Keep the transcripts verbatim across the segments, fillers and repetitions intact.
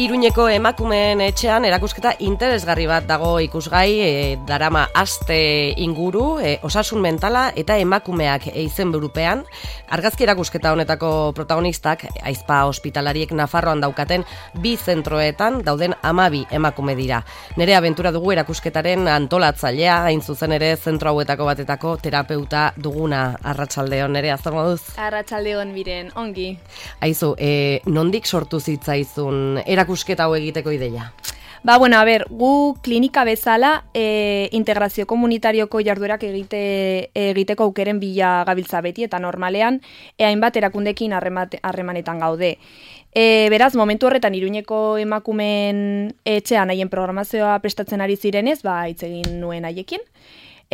Iruñeko emakumeen etxean erakusketa interesgarri bat dago ikusgai, e, darama aste inguru, e, osasun mentala eta emakumeak izenburupean. Argazki erakusketa honetako protagonistak Aizpa ospitalariek Nafarroan daukaten bi zentroetan dauden hamabi emakume dira. Nerea Bentura dugu erakusketaren antolatzailea, hain zuzen ere zentro hauetako batetako terapeuta duguna. Arratsaldeon, Nerea, zer moduz? Arratsaldeon, Miren, ongi. Aizu, e, nondik sortu zitzaizun erakusketa hau egiteko ideia? Ba, bueno, a ber, gu klinika bezala e, integrazio komunitarioko jarduerak egite, egiteko aukeren bila gabiltza beti eta normalean e, hainbat erakundekin harremanetan gaude. E, beraz, momentu horretan Iruñeko emakumeen etxean haien programazioa prestatzen ari zirenez, ba, hitz egin nuen haiekin.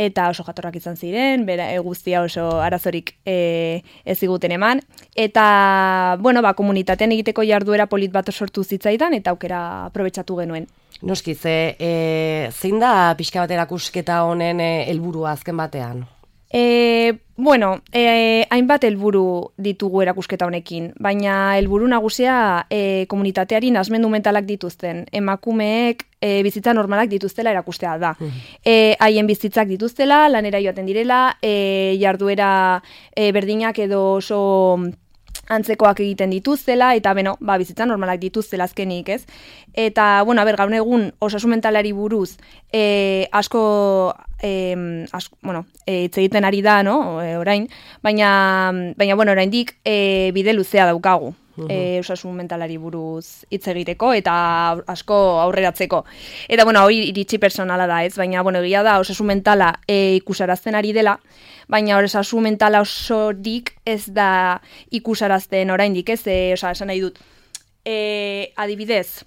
Eta oso jatorrak izan ziren, bera, e, guztia oso arazorik e, ez ziguten eman. Eta, bueno, ba, komunitatean egiteko jarduera polit bat sortu zitzaidan, eta aukera aprobetxatu genuen. Noski, ze, e, zein da pixka bat erakusketa honen helburua azken batean? E, bueno, e, hainbat helburu ditugu erakusketa honekin, baina helburu nagusia e, komunitateari nahasmendu mentalak dituzten, emakumeek e, bizitza normalak dituztela erakustea da. E, haien bizitzak dituztela, lanera joaten direla, e, jarduera e, berdinak edo oso antzekoak egiten dituztela, eta beno, ba, bizitza normalak dituztela azkenik, ez? Eta, bueno, a ber, gaur egun osasun mentalari buruz e, asko, e, asko, bueno, e, hitz egiten ari da, no, e, orain, baina, baina, bueno, oraindik e, bide luzea daukagu. E, osasun mentalari buruz hitz egiteko eta asko aurreratzeko. Eta, bueno, hori iritsi personala da, ez? Baina, bueno, egia da, osasun mentala e, ikusarazten ari dela, baina osasun mentala osorik ez da ikusarazten oraindik, ez? E, osa, esan nahi dut. E, adibidez,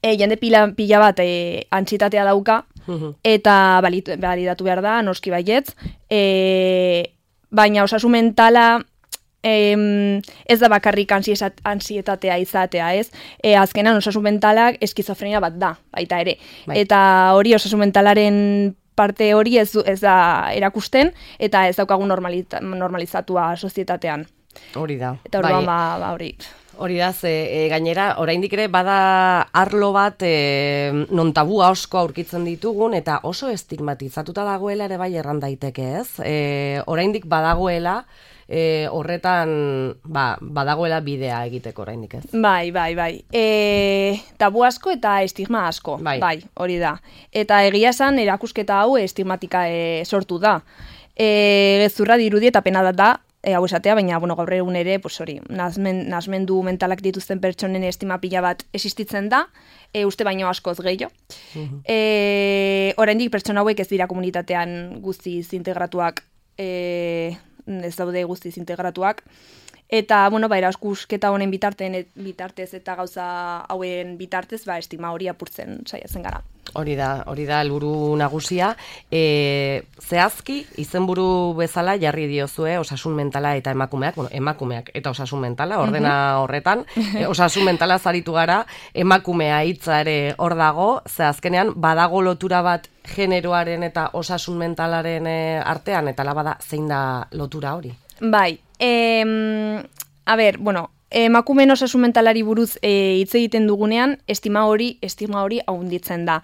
e, jende pila, pila bat e, antsitatea dauka, eta balidatu behar da, noski baietz, e, baina osasun mentala Em, ez da bakarrik ansietatea izatea, ez? E, azkenan osasun mentalak eskizofrenia bat da, baita ere. Bai. Eta hori osasun mentalaren parte hori ez, ez da erakusten, eta ez daukagu normaliza, normalizatua sozietatean. Hori da. Eta orduan, bai. ba, ba hori. Hori da, ze, e, gainera, oraindik ere bada arlo bat e, non tabua asko aurkitzen ditugun, eta oso estigmatizatuta dagoela ere bai erran daiteke, ez? E, oraindik badagoela, E, horretan ba, badagoela bidea egiteko oraindik, ez? Bai, bai, bai. E, tabu asko eta estigma asko, bai, bai hori da. Eta egia esan erakusketa hau estigmatika e, sortu da. E, gezurra dirudi eta pena da, e, hau esatea, baina bueno, gaur egun ere, pues hori, nazmen, nazmendu mentalak dituzten pertsonen estima pila bat existitzen da, e, uste baino askoz gehiago. Uh-huh. E, oraindik pertsona hauek ez dira komunitatean guztiz integratuak, e, ez daude guztiz integratuak, eta, bueno, ba, erakusketa honen bitarten, bitartez eta gauza hauen bitartez, ba, estigma hori apurtzen saiatzen gara. Hori da, hori da helburu nagusia. E, zehazki, izenburu bezala jarri diozue osasun mentala eta emakumeak, bueno, emakumeak eta osasun mentala, ordena horretan, e, osasun mentala zaritu gara, emakumea hitza ere hor dago, ze azkenean badago lotura bat generoaren eta osasun mentalaren artean, eta labada zein da lotura hori? Bai, em, a ber, bueno, emakumeen osasun mentalari buruz e, hitz egiten dugunean, estima hori, estigma hori haunditzen da.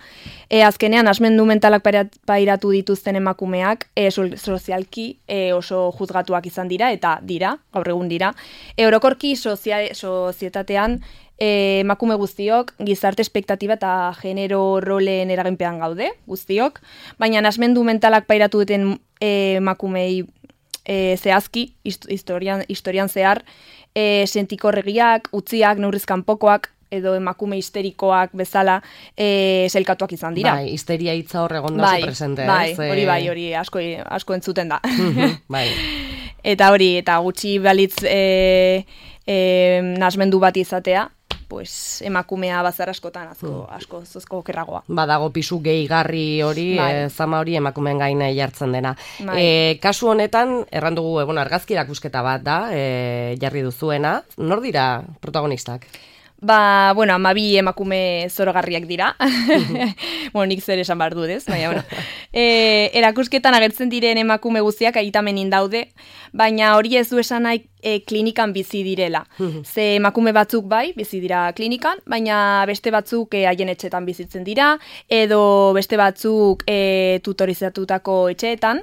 E, azkenean, asmendu mentalak pairatu dituzten emakumeak, e, sozialki e, oso juzgatuak izan dira, eta dira, gaur egun dira. E, orokorki sozia, sozietatean, E, emakume guztiok, gizarte espektatiba eta genero rolen eraginpean gaude, guztiok, baina nasmendu mentalak pairatu duten e, emakumei e, zehazki, historian, historian zehar, e, sentikorregiak, utziak, neurrizkanpokoak, edo emakume histerikoak bezala e, zelkatuak izan dira. Bai, histeria hitza hor egon da bai, presente. Bai, ez? hori bai, hori asko, asko entzuten da. Bai. Eta hori, eta gutxi balitz e, e, nasmendu bat izatea, pues, emakumea bazar askotan asko, asko zozko okerragoa. Badago pisu gehigarri hori, bai. e, zama hori emakumeen gaina jartzen dena. Bai. E, kasu honetan, erran dugu, egon argazki erakusketa bat da, e, jarri duzuena. Nor dira protagonistak? Ba, bueno, amabi emakume zorogarriak dira. bueno, nik zer esan behar dut, ez? Baina, bueno. E, erakusketan agertzen diren emakume guztiak aitamenin daude, baina hori ez du esan nahi e, klinikan bizi direla. Ze emakume batzuk bai, bizi dira klinikan, baina beste batzuk e, haien etxetan bizitzen dira, edo beste batzuk e, tutorizatutako etxeetan,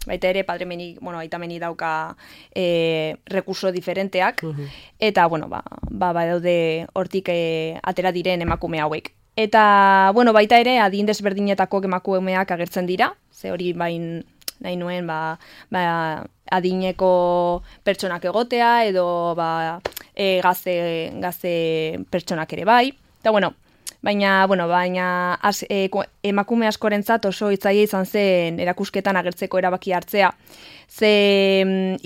baita ere, padremeni, bueno, aitameni dauka e, rekurso diferenteak, uh-huh. eta, bueno, ba, ba, ba daude hortik e, atera diren emakume hauek. Eta, bueno, baita ere, adin desberdinetako emakumeak agertzen dira, ze hori bain nahi nuen, ba, ba, adineko pertsonak egotea, edo, ba, e, gaze, gaze pertsonak ere bai, eta, bueno, Baina, bueno, baina az, e, emakume askorentzat oso hitzaia izan zen erakusketan agertzeko erabaki hartzea. Ze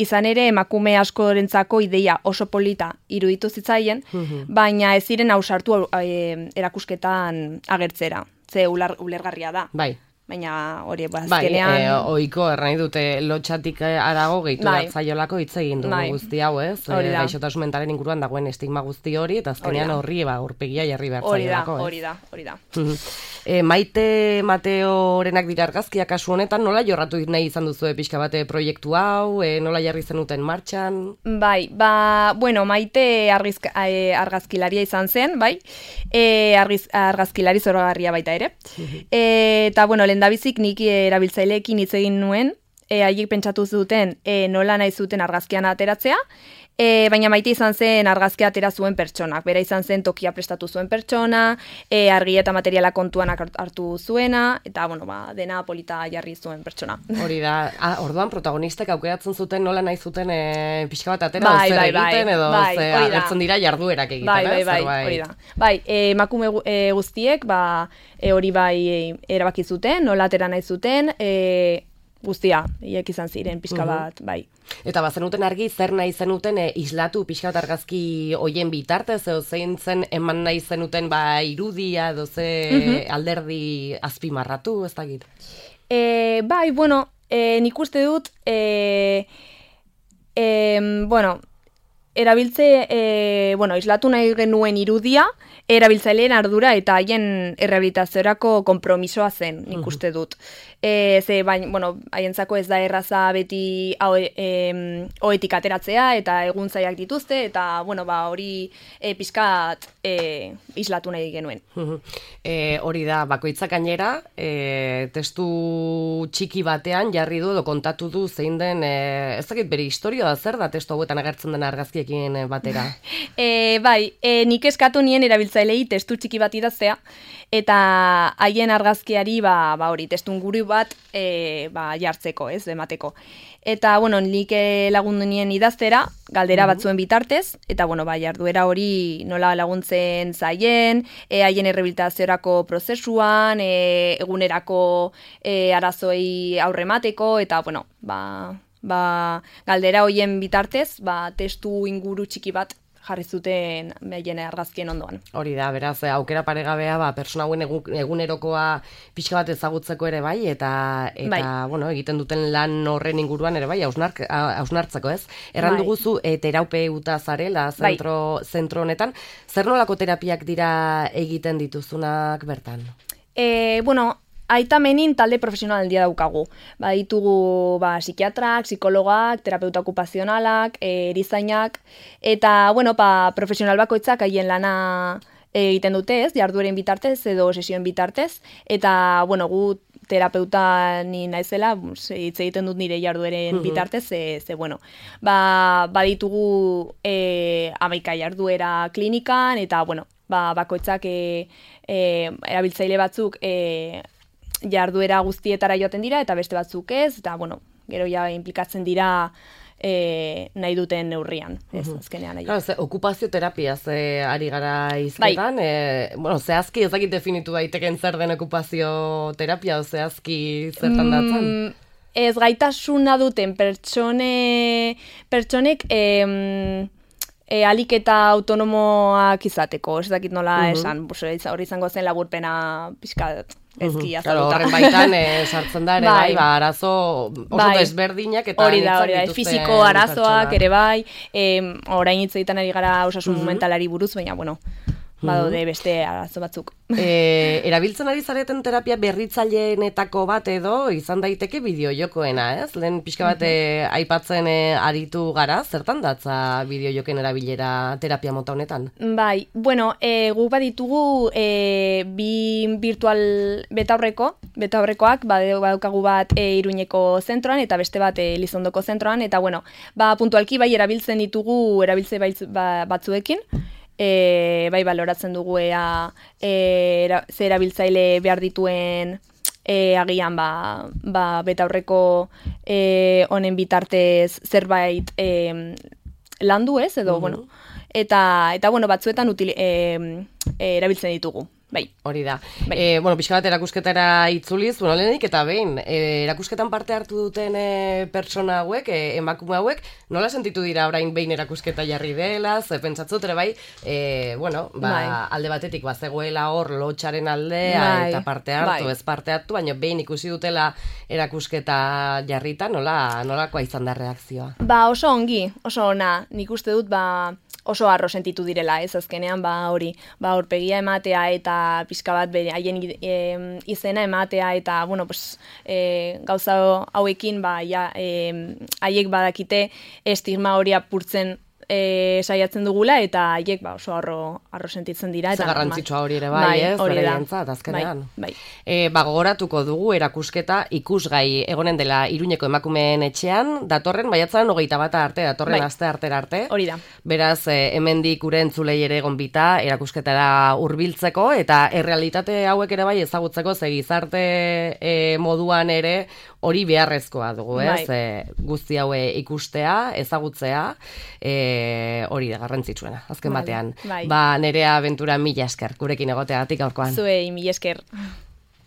izan ere emakume askorentzako ideia oso polita iruditu zitzaien, mm-hmm. baina ez ziren ausartu e, erakusketan agertzera. Ze ular, ulergarria da. Bai. Baina hori bazkenean... Bai, e, oiko erran dute lotxatik arago gehitu bai. Zaiolako hitz egin dugu bai. Guzti hau, ez? E, gaixotasun mentalen inguruan dagoen estigma guzti hori, eta azkenean horri ba, urpegia jarri behar zaiolako. Hori da, hori da, hori da. e, Maite Mateorenak dira argazkia kasu honetan, nola jorratu nahi izan duzu pixka bate proiektu hau, e, nola jarri zenuten martxan? Bai, ba, bueno, Maite argizka, e, argazkilaria izan zen, bai? E, argiz, argazkilari zoragarria baita ere. e, eta, bueno, lehendabizik nik erabiltzaileekin hitz egin nuen, e, haiek pentsatu zuten e, nola nahi zuten argazkian ateratzea, e, baina Maite izan zen argazkia atera zuen pertsonak, bera izan zen tokia prestatu zuen pertsona, e, argi eta materiala kontuan hartu zuena, eta bueno, ba, dena polita jarri zuen pertsona. Hori da, ah, orduan protagonistek aukeratzen zuten nola nahi zuten e, pixka bat atera, bai, zer bai, egiten, bai, edo bai, ze, agertzen dira jarduerak egiten, bai, bai, ez? Bai, bai, hori da. Bai, e, emakume e, guztiek, ba, e, hori bai e, erabaki zuten, nola atera nahi zuten, e, guztia, hiek izan ziren pixka bat, uh-huh. bai. Eta bazenuten argi, zer nahi zenuten e, islatu pixka bat argazki hoien bitartez, edo zein zen eman nahi zenuten ba, irudia, edo ze uh-huh. alderdi azpimarratu, ez dakit? E, bai, bueno, e, nik uste dut, e, e, bueno, erabiltze, e, bueno, islatu nahi genuen irudia, erabiltzaileen ardura eta haien errehabilitaziorako konpromisoa zen, nik uste dut. E, ze, bain, bueno, haientzako ez da erraza beti oetik ateratzea eta egun zaiak dituzte, eta, bueno, ba, hori e, pixkat e, islatu nahi genuen. e, hori da, bakoitzak gainera, e, testu txiki batean jarri du edo kontatu du zein den, e, ez dakit bere historia da, zer da testu hauetan agertzen den argazkiekin batera? e, bai, e, nik eskatu nien erabiltzailei testu txiki bat idaztea, eta haien argazkiari ba, ba hori, testu inguru bat e, ba, jartzeko, ez, emateko. Eta, bueno, nik lagundu nien idaztera, galdera mm-hmm. batzuen bitartez, eta, bueno, ba, jarduera hori nola laguntzen zaien, e, haien errehabilitaziorako prozesuan, e, egunerako e, arazoei aurremateko, eta, bueno, ba, ba, galdera hoien bitartez, ba, testu inguru txiki bat jarri zuten behien argazkien ondoan. Hori da, beraz, aukera paregabea, ba, persona hauen egunerokoa pixka bat ezagutzeko ere bai, eta, eta bai. bueno, egiten duten lan horren inguruan ere bai, hausnartzeko, ez? Erran bai. duguzu, e, terapeuta zarela zentro, bai. zentro honetan, zer nolako terapiak dira egiten dituzunak bertan? E, bueno, Aitamenin talde profesional handia daukagu. Ba, ditugu ba, psikiatrak, psikologak, terapeuta okupazionalak, e, erizainak, eta bueno, ba, profesional bakoitzak haien lana egiten dute, ez, jardueren bitartez edo sesioen bitartez, eta bueno, gu terapeuta ni naizela, hitz egiten dut nire jardueren uh-huh. bitartez, ze, ze bueno, ba, baditugu e, hamaika jarduera klinikan, eta bueno, ba, bakoitzak e, e, erabiltzaile batzuk e, jarduera guztietara joaten dira, eta beste batzuk ez, eta, bueno, gero ja implikatzen dira e, nahi duten neurrian, ez, uh-huh. azkenean nahi. Claro, ze, okupazio terapia ze ari gara izketan, bai. e, bueno, zehazki ez dakit definitu daiteken zer den okupazio terapia, o zehazki zertan datzen? Mm, ez gaitasuna duten pertsone, pertsonek, em, E, alik eta autonomoak izateko, ez dakit nola uh-huh. esan, hori izango zen laburpena pixka ezki uh-huh. Claro, horren baitan e, sartzen da ere bai, bai ba, arazo oso bai. desberdinak eta hori da, hori da, fiziko arazoak ere bai, e, orain hitz egiten ari gara osasun uh-huh. mentalari buruz, baina, bueno, badaude beste arazo batzuk. E, erabiltzen ari zareten terapia berritzaileenetako bat edo izan daiteke bideojokoena, ez? Lehen pixka bat mm-hmm. aipatzen e, aritu gara, zertan datza bideojoken erabilera terapia mota honetan? Bai, bueno, e, guk baditugu e, bi virtual betaurreko, betaurrekoak badaukagu bat e, Iruñeko zentroan eta beste bat e, Elizondoko zentroan, eta bueno, ba, puntualki bai erabiltzen ditugu erabiltze ba, batzuekin, E, bai baloratzen dugu ea e, era, ze erabiltzaile behar dituen e, agian ba, ba betaurreko e, honen bitartez zerbait e, landu ez edo mm-hmm. bueno eta eta bueno batzuetan util, e, e, erabiltzen ditugu. Bai. Hori da. Bai. E, bueno, pixka bat erakusketara itzuliz, bueno, lehenik eta behin, e, erakusketan parte hartu duten e, pertsona hauek, e, emakume hauek, nola sentitu dira orain behin erakusketa jarri dela, ze pentsatzut ere bai, e, bueno, ba, bai. alde batetik bazegoela hor lotxaren aldea bai. Eta parte hartu, bai. Ez parte hartu, baina behin ikusi dutela erakusketa jarrita, nola, nolakoa izan da reakzioa? Ba, oso ongi, oso ona, nik uste dut, ba, oso harro sentitu direla, ez azkenean, ba hori, ba aurpegia ematea eta pixka bat bere haien e, izena ematea eta bueno, pues e, gauza hauekin ba ja e, haiek badakite estigma hori apurtzen E, saiatzen dugula eta haiek ba, oso arro, arro sentitzen dira. Eta garrantzitsua hori ere bai, bai ez? Hori da. Azkenean. Bai, bai. E, ba, gogoratuko dugu erakusketa ikusgai egonen dela Iruñeko emakumeen etxean, datorren baiatzaren hogeita bata arte, datorren bai. Aste artera arte. Hori da. Beraz, e, hemendik ure entzulei ere gonbita erakusketara hurbiltzeko eta errealitate hauek ere bai ezagutzeko ze gizarte e, moduan ere hori beharrezkoa dugu, ez? Bai. E, guzti haue ikustea, ezagutzea, e, hori da garrantzitsuena, azken batean. Bai. Ba, Nerea Ventura mila esker, gurekin egoteagatik gaurkoan. Zuei mila esker.